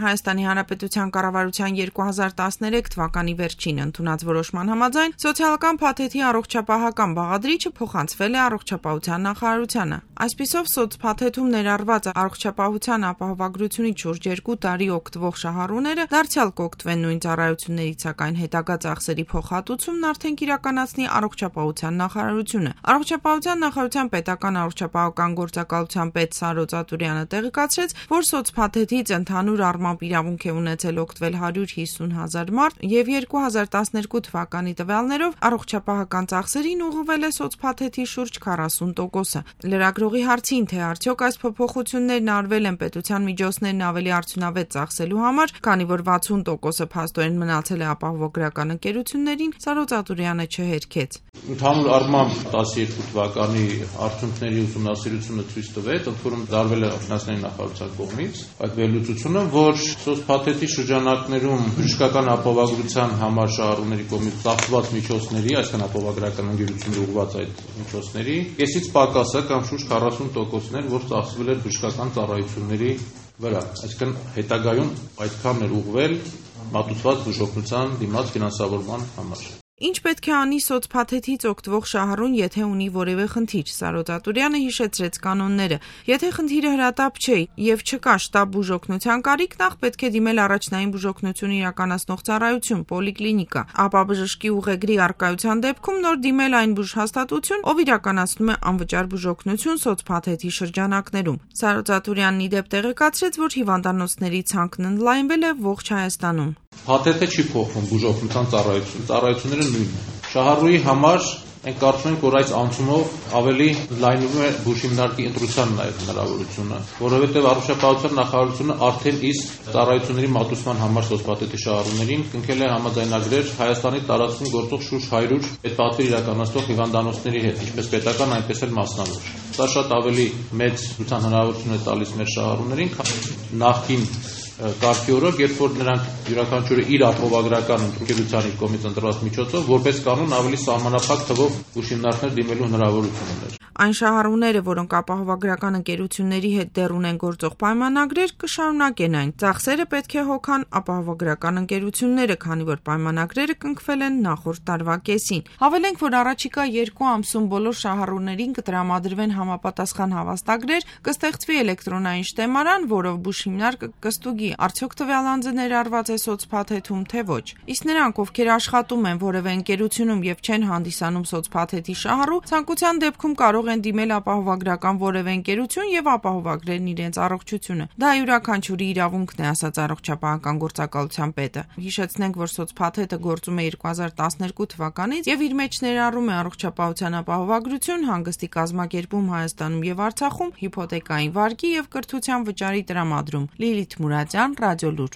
Հայաստանի Հանրապետության կառավարության 2013 թվականի վերջին ընդունած որոշման համաձայն սոցիալական փաթեթի առողջապահական բաղադրիչը փոխանցվել է առողջապահության նախարարությանը։ Այսպիսով սոցփաթեթում ներառված առողջապահության ապահովագրությունից շուրջ 2 տարի օգտվող շահառուները դարձյալ կօգտվեն նույն ծառայություններից, սակայն հետագա ծախսերի փոխհատուցումն արդեն կիրականացնի առողջապահության նախարարությունը։ Առողջապահության նախարարության պետական առողջապահական գործակալության պետ Սարո Ծատուրյանը տեղեկացրեց, որ սոցփաթեթից ընդհանուր առմամբ իրավունք է ունեցել օգտվել 150,000 մարդ եւ 2012 թվականի տվյալներով առողջապահական ծախսերին ուղղվել է սոցփաթեթի շուրջ 40%-ը։ Լրագրողի հարցին, թե արդյոք այս փոփոխություններն արվել են պետության միջոցներն ավելի արդյունավետ ծախսելու համար, քանի որ 60%-ը փաստորեն մնացել է ապահովագրական ընկերություններին, Սարո Ծատուրյանը չհերքեց։ Ընդհանուր առմամբ 12 թվականի արդյունքների ուսումնասիրությունը ցույց տվեց, ընդ որում դարվել է ֆինանսների նախարարության կողմից այդ վերլուծությունը, որ սոցփաթեթի շրջանակներում բժշկական ապահովագրության համար շահառուների կողմից ծախսված միջոցների, այսինքն ապահովագրական ընկերությունների ուղղված այդ միջոցների, կեսից պակասը կամ շուրջ 40%-ն էր, որ ծախսվել էր բժշկական ծառայությունների վրա։ Այսինքն հետագայում այդքան էր ուղղվել մատուցված բուժօգնության դիմաց ֆինանսավորման համար։ Ինչ պետք է անի սոցփաթեթից օգտվող շահառուն, եթե ունի որևէ խնդիր։ Սարո Ծատուրյանը հիշեցրեց կանոնները։ Եթե խնդիրը հրատապ չէ եւ չկա շտապ բուժօգնության կարիք, նախ պետք է դիմել առաջնային բուժօգնություն իրականացնող ծառայություն, պոլիկլինիկա, ապա բժշկի ուղեգրի առկայության դեպքում նոր դիմել այն բուժհաստատություն, ով իրականացնում է անվճար բուժօգնություն սոցփաթեթի շրջանակներում։ Սարո Ծատուրյանն ի դեպ տեղեկացրեց, որ հիվանդանոցների ցանկն ընդլայնվել է ողջ Հայաստանում։ Փաթեթը չի փոխվում բուժօգնության ծառայությունները նույնն են։ Շահառուի համար մենք կարծում ենք, որ այս անցումով ավելի լայնվում է բուժհիմնարկի ընտրության նաև հնարավորությունը, որովհետև առողջապահության նախարարությունը արդեն իսկ ծառայությունների մատուցման համար սոցփաթեթի շահառուներին կնքել է համաձայնագրեր Հայաստանի տարածքում գործող շուրջ 100 պետպատվիր իրականացնող հիվանդանոցների հետ, ինչպես պետական, այնպես էլ մասնավոր։ Դա շատ ավելի մեծ ցուցան հնարավորություն է տալիս մեր շահառուներին, քան նախկին կարգի օրոք, երբ որ նրանք յուրաքանչյուրը իր ապահովագրական ընկերության կողմից ընտրված միջոցով որպես կանոն ավելի սահմանափակ թվով բուժհիմնարկներ դիմելու հնարավորություն ուներ։ Այն շահառուները, որոնք ապահովագրական ընկերությունների հետ դեռ ունեն գործող պայմանագրեր, կշարունակեն այն։ Ծախսերը պետք է հոգան ապահովագրական ընկերությունները, քանի որ պայմանագրերը կնքվել են նախորդ տարվա կեսին։ Հավելենք, որ առաջիկա 2 ամսում բոլոր շահառուներին կտրամադրվեն համապատասխան հավաստագրեր, կստեղծվի էլեկտրոնային շտեմարան, որով բուժհիմնարկը կստուգի արդյոք տվյալ անձը ներառված է սոցփաթեթում, թե ոչ։ Իսկ նրանք, ովքեր աշխատում են որևէ ընկերությունում եւ չեն հանդիսանում սոցփաթեթի շահառու, ցանկության դեպքում կարող են դիմել ապահովագրական որևէ ընկերություն եւ ապահովագրեն իրենց առողջությունը։ Դա յուրաքանչյուրի իրավունքն է, ասաց առողջապահական գործակալության պետը։ Հիշեցնենք, որ սոցփաթեթը գործում է 2012 թվականից եւ իր մեջ ներառում է առողջապահության ապահովագրություն, հանգստի կազմակերպում Հայաստանում եւ Արցախում, հիփոթեկային վարկի եւ կրթության վճարի տրամադրում։ Լիլիթ Մուրադյան, Ռադիոլուր։